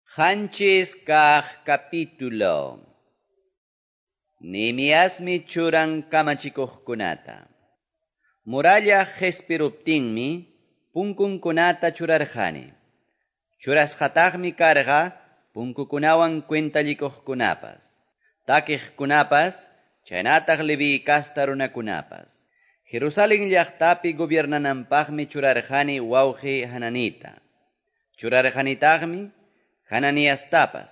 7 kaq capítulo. Nehemiasmi churan kamachikuqkunata. Muralla qespiruptinmi punkunkunata churarqani. Churasqataqmi karqa punkukunawan cuentallikuqkunapas, takiqkunapas, chaynataq Leví casta runakunapas. Jerusalén llaqtapi gobiernananpaqmi churarqani wawqi Hananita. Churarqanitaqmi Hananiastapas.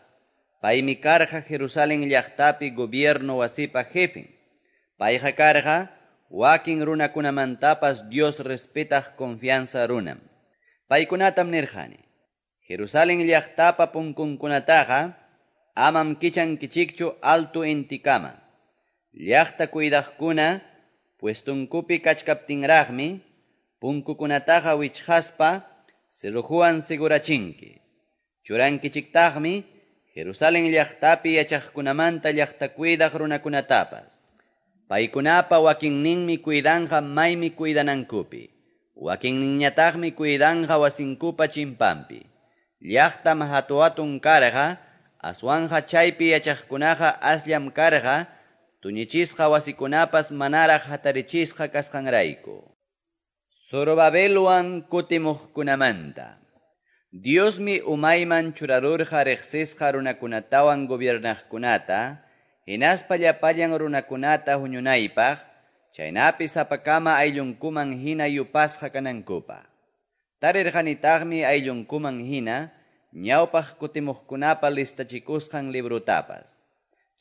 Paymi karqa Jerusalén llaqtapi gobierno wasipa jefen. Payqa karqa wakin runakunamantapas Dios respetaq confianza runam. Paykunatam nirqani: Jerusalén llaqtapa punkunkunataqa amam kichankichikchu alto intikama. Llaqta cuidaqkuna puestunkupi kachkaptinraqmi punkukunataqa wichqaspa cerrojuwan segurachinki. Churankichiktaqmi Jerusalén llaqtapi yachaqkunamanta llaqta cuidaq runakunatapas. Paykunapa wakinninmi cuidanqa maymi cuidanankupi. Wakinninñataqmi cuidanqa wasinkupa chimpampi. Llaqtam hatu-hatun karqa, aswanja chaypi yachaqkunaqa asllam karqa, tuñichisqa wasikunapas manaraq hatarichisqa kasqanrayku. Zorobabelwan kutimuqkunamanta. Diosmi umayman churarurqa riqsisqa runakunatawan gobiernaqkunata, hinaspa llapallan runakunata huñunaypaq, chaynapi sapakama ayllunkuman hina yupasqa kanankupaq. Tarirqanitaqmi ayllunkuman hina ñawpaq kutimuqkunapa listachikusqan librutapas.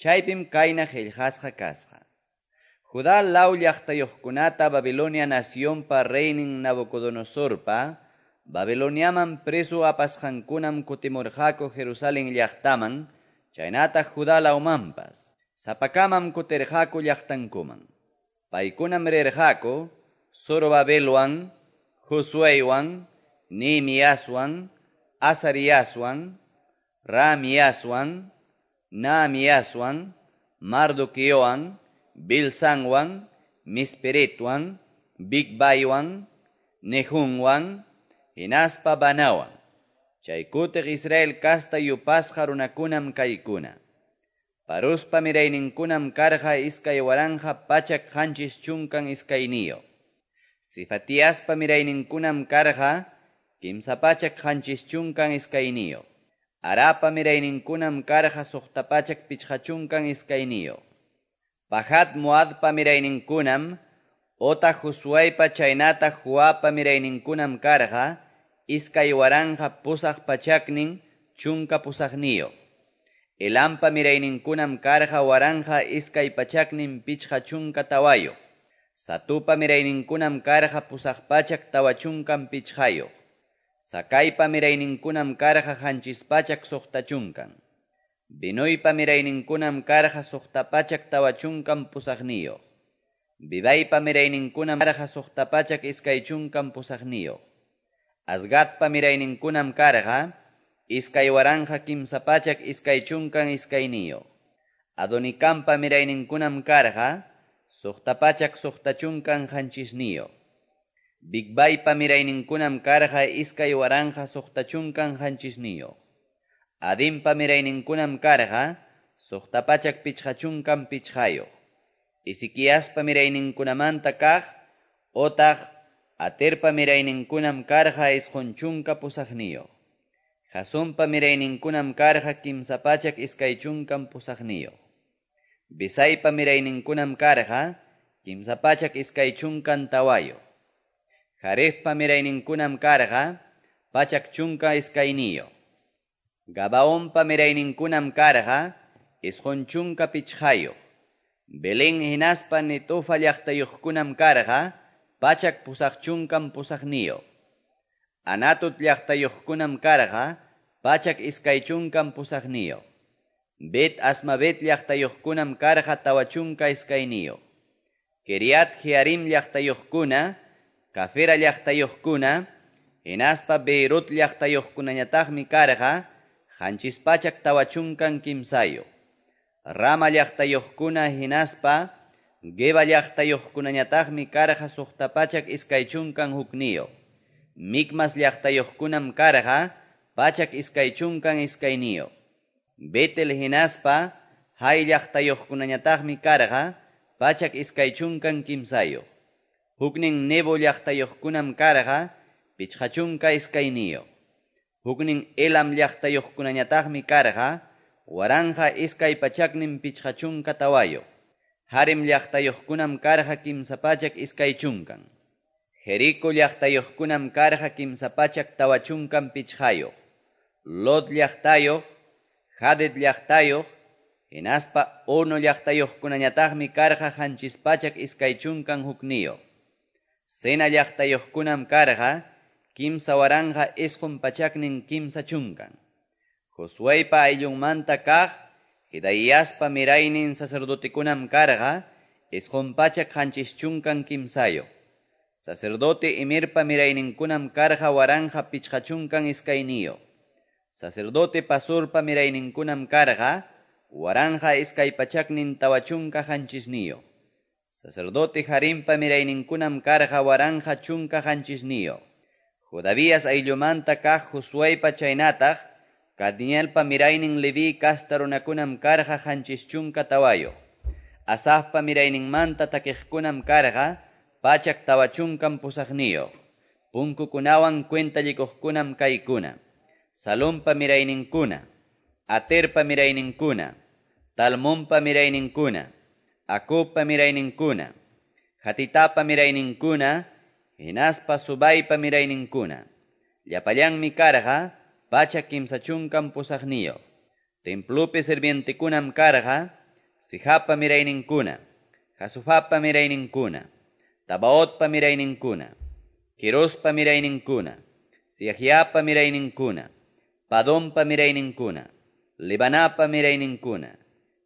Chaypim kayna qillqasqa kasqa: Judá law llaqtayuqkunata Babilonia nacionpa reynin Nabucodonosorpa Babiloniaman preso apasqankunam kutimurqaku Jerusalén llaqtaman, chaynataq Judá lawmanpas. Sapakamam kutirqaku llaqtankuman. Paykunam rirqaku Zorobabelwan, Josueywan, Nehemiaswan, Azariaswan, Ramiaswan, Nahamiaswan, Mardoqueowan, Bilsanwan, Misperetwan, Bigvaiwan, Nehunwan, hinaspa Banawan. Chay kutiq Israel casta yupasqa runakunam kaykuna. Parospa mirayninkunam karqa 2172. Sefatiaspa mirayninkunam karqa 372. Arapa mirayninkunam karqa 652. Pahat Moabpa mirayninkunam otaq Josueypa chaynataq Joabpa mirayninkunam karqa 2818. Elampa mirayninkunam karqa 1254. Zatupa mirayninkunam karqa 845. Zacaipa mirayninkunam karqa 760. Binuypa mirayninkunam karqa 648. Bebaipa mirayninkunam karqa 628. Azgadpa mirayninkunam karqa 2322. Adonikampa mirayninkunam karqa 667. Bigvaipa mirayninkunam karqa 2067. Adinpa mirayninkunam karqa 655. Ezequiaspa mirayninkunamanta kaq otaq Aterpa mirayninkunam karqa 98. Jasumpa mirayninkunam karqa 328. Besaipa mirayninkunam karqa 324. Jarefpa mirayninkunam karqa 112. Gabaonpa mirayninkunam karqa 95. Belén hinaspa Netofa llaqtayuqkunam karqa 188. Anatot llaqtayuqkunam karqa 128. Bet Asmavet llaqtayuqkunam karqa 42. Kiriat Jearim llaqtayuqkuna, Cafira llaqtayuqkuna, hinaspa Beerot llaqtayuqkunañataqmi karqa 743. Rama llaqtayuqkuna hinaspa Geba llaqtayuqkunañataqmi karqa 621. Micmas llaqtayuqkunam karqa 122. Betel hinaspa Hai llaqtayuqkunañataqmi karqa 123. Huknin Nebo llaqtayuqkunam karqa 52. Huknin Elam llaqtayuqkunañataqmi karqa 1254. Harim llaqtayuqkunam karqa 320. Jerico llaqtayuqkunam karqa 345. Lod llaqtayuq, Hadid llaqtayuq, hinaspa Ono llaqtayuqkunañataqmi karqa 721. Sena llaqtayuqkunam karqa 3930. Josueypa ayllunmanta kaq Jedaiaspa miraynin sacerdotekunam karqa 973. Sacerdote Imerpa mirayninkunam karqa 1052. Sacerdote Pasurpa mirayninkunam karqa 1247. Sacerdote Harimpa mirayninkunam karqa 1017. Jodavías ayllumanta kaq Josueypa chaynataq Kadmielpa miraynin Leví kasta runakunam karqa 74. Asafpa mirayninmanta takiqkunam karqa 148. Punkukunawan cuentallikuqkunam kaykuna. Salompa mirayninkuna, Aterpa mirayninkuna, Talmonpa mirayninkuna, Acubpa mirayninkuna, Hatitapa mirayninkuna, hinaspa Subaypa mirayninkuna. Llapallanmi karqa 138. Templopi sirvientekunam karqa Sijapa mirayninkuna, Jasufapa mirayninkuna, Tabaotpa mirayninkuna, Quirospa mirayninkuna, Siajiapa mirayninkuna, Padonpa mirayninkuna, Libanapa mirayninkuna,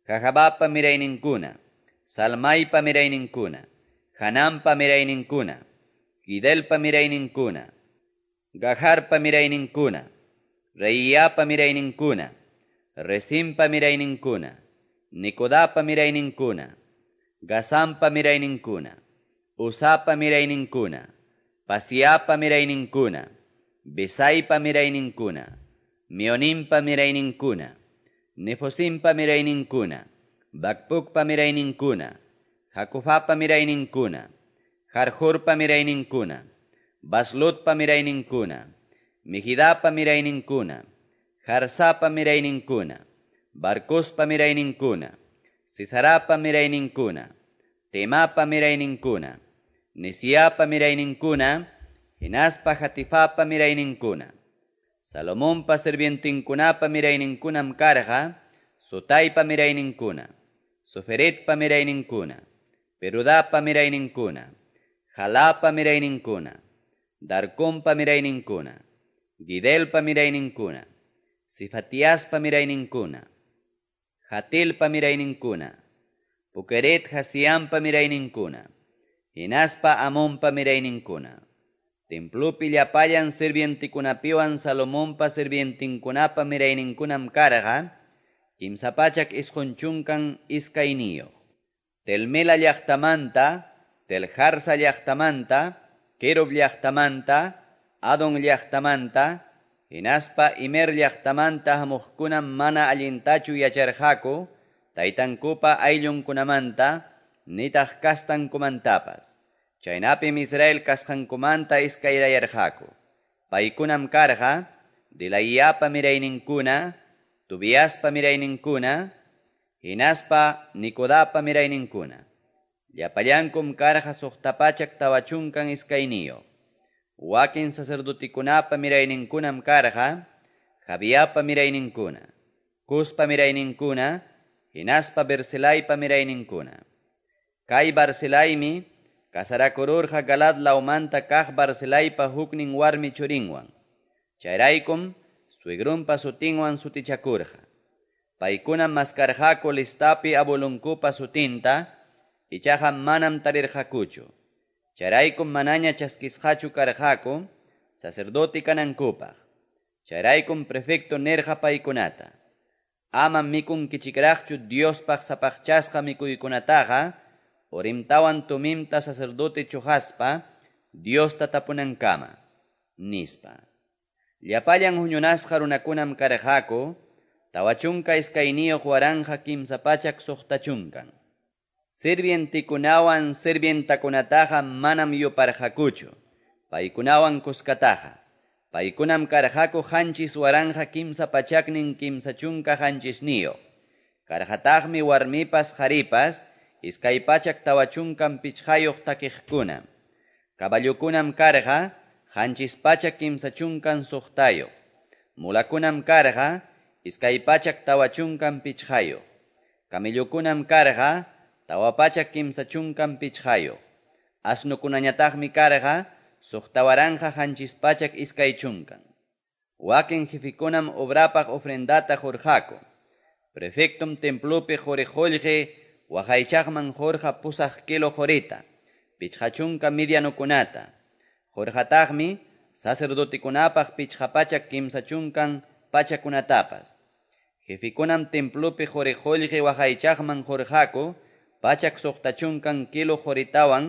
Jajabapa mirayninkuna, Salmaypa mirayninkuna, Hanampa mirayninkuna, Gidelpa mirayninkuna, Gajarpa mirayninkuna, Reiyapa mirayninkuna, Resimpa mirayninkuna, Nikodapa mirayninkuna, Gazampa mirayninkuna, Usapa mirayninkuna, Pasiapa mirayninkuna, Besaipa mirayninkuna, Mionimpa mirayninkuna, Nefosimpa mirayninkuna, Bakpukpa mirayninkuna, Jacufapa mirayninkuna, Jarjurpa mirayninkuna, Baslutpa mirayninkuna, Mejidapa mirayninkuna, Jarsapa mirayninkuna, Barcospa mirayninkuna, Sisarapa mirayninkuna, Temapa mirayninkuna, Nesiapa mirayninkuna, hinaspa Hatifapa mirayninkuna. Salomonpa sirvientinkunapa mirayninkunam karqa, Sotaypa mirayninkuna, Soferetpa mirayninkuna, Perudapa mirayninkuna, Jalapa mirayninkuna, Darcompa mirayninkuna, Gidelpa mirayninkuna, Sifatiaspa mirayninkuna, Hatilpa mirayninkuna, Pukeret Hasiampa mirayninkuna, hinaspa Amonpa mirayninkuna. Templopi llapallan sirvientikunapiwan Salomonpa sirvientinkunapa mirayninkunam karqa 392. Telmela llaqtamanta, Teljarsa llaqtamanta, Kerob llaqtamanta, Adon llaqtamanta, hinaspa Imer llaqtamanta hamuqkunam mana allintachu yacharqaku, taytankupa ayllunkunamanta, nitaq kastankumantapas. Chaynapim Israel kasqankumanta iskayrayarqaku. Paykunam karqa, Dilayapa mirayninkuna, Tubiaspa mirayninkuna, hinaspa Nikodapa mirayninkuna. Llapallankum karqa 642. Wakin sacerdotikunapa mirayninkunam karqa, Javiapa mirayninkuna, Cuspa mirayninkuna, hinaspa Barzilaypa mirayninkuna. Kay Barzilaymi casarakururqa Galad lawmanta kaq Barzilaypa huknin warmi churinwan. Chayraykum suegrunpa sutinwan sutichakurqa. Paykunam maskarqaku listapi abuelunkupa sutinta, ichaqa manam tarirqakuchu. Chayraykum manaña chaskisqachu karqaku sacerdote kanankupaq. Chayraykum prefecto nirqa paykunata: Ama mikunkichikraqchu Diospaq sapaqchasqa mikuykunataqa, Urimtawan Tumimta sacerdote chuqaspa Diosta tapunankama, nispa. Llapallan huñunasqa runakunam karqaku 42 360. Sirvientekunawan sirvientakunataqa manam yuparqakuchu, paykunawan kuskataqa. Paykunam karqaku 7337. Karqataqmi warmipas qaripas 245 takiqkuna. Caballokunam karqa 736. Mulakunam karqa 245. Camellokunam karqa 435. Asnukunañataqmi karqa 6720. Wakin jefikunam obrapaq ofrendata qurqaku. Prefectum templopi qori qollqe waqaychaqman qurqa 8 kilo qorita, 50 medianokunata. Qurqataqmi sacerdotekunapaq 530 pachakunatapas. Jefikunam templopi qori qollqe waqaychaqman qurqaku 160 kilo qoritawan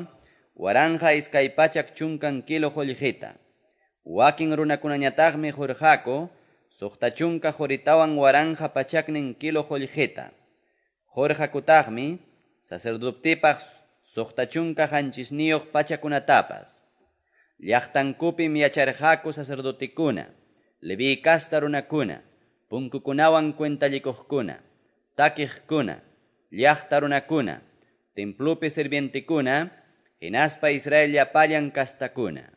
1220 kilo qollqeta. Wakin runakunañataqmi qurqaku 60 qoritawan 1100 kilo qollqeta. Qurqakutaqmi sacerdotepaq 67 pachakunatapas. Llaqtankupim yacharqaku sacerdotekuna, Leví casta runakuna, punkukunawan cuentallikuqkuna, takiqkuna, llaqta runakuna, templopi sirvientekuna, hinaspa Israel llapallan kastakuna.